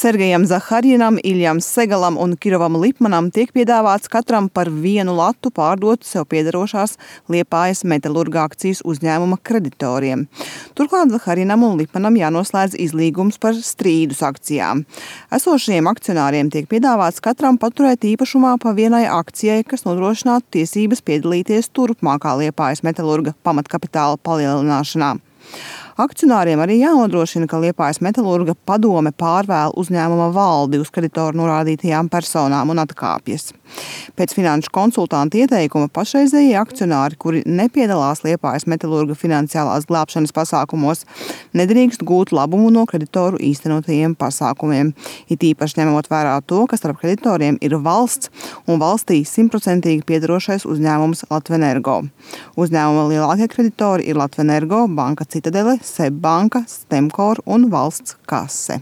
Sergejam Zaharjinam, Iljam Segalam un Kirovam Lipmanam tiek piedāvāts katram par 1 latu pārdot sev piederošās Liepājas Metalurga akcijas uzņēmuma kreditoriem. Turklāt Zaharjinam un Lipmanam jānoslēdz izlīgums par strīdus akcijām. Esošajiem akcionāriem tiek piedāvāts katram paturēt īpašumā pa 1 akcijai, kas nodrošinātu tiesības piedalīties turpmākā Liepājas Metalurga pamatkapitāla palielināšanā. Akcionāriem arī jānodrošina, ka Liepājas Metalurga padome pārvēl uzņēmuma valdi uz kreditoru norādītajām personām un atkāpjas. Pēc finanšu konsultanta ieteikuma pašreizējie akcionāri, kuri nepiedalās Liepājas Metalurga finansiālās glābšanas pasākumos, nedrīkst gūt labumu no kreditoru īstenotajiem pasākumiem. It īpaši ņemot vērā to, ka starp kreditoriem ir valsts un valstī 100% piedarošais uzņēmums Latvenergo. Uzņēmuma lielākie kreditori ir Latvenergo, Banka Citadele, SEB banka, Stemkor un valsts kase.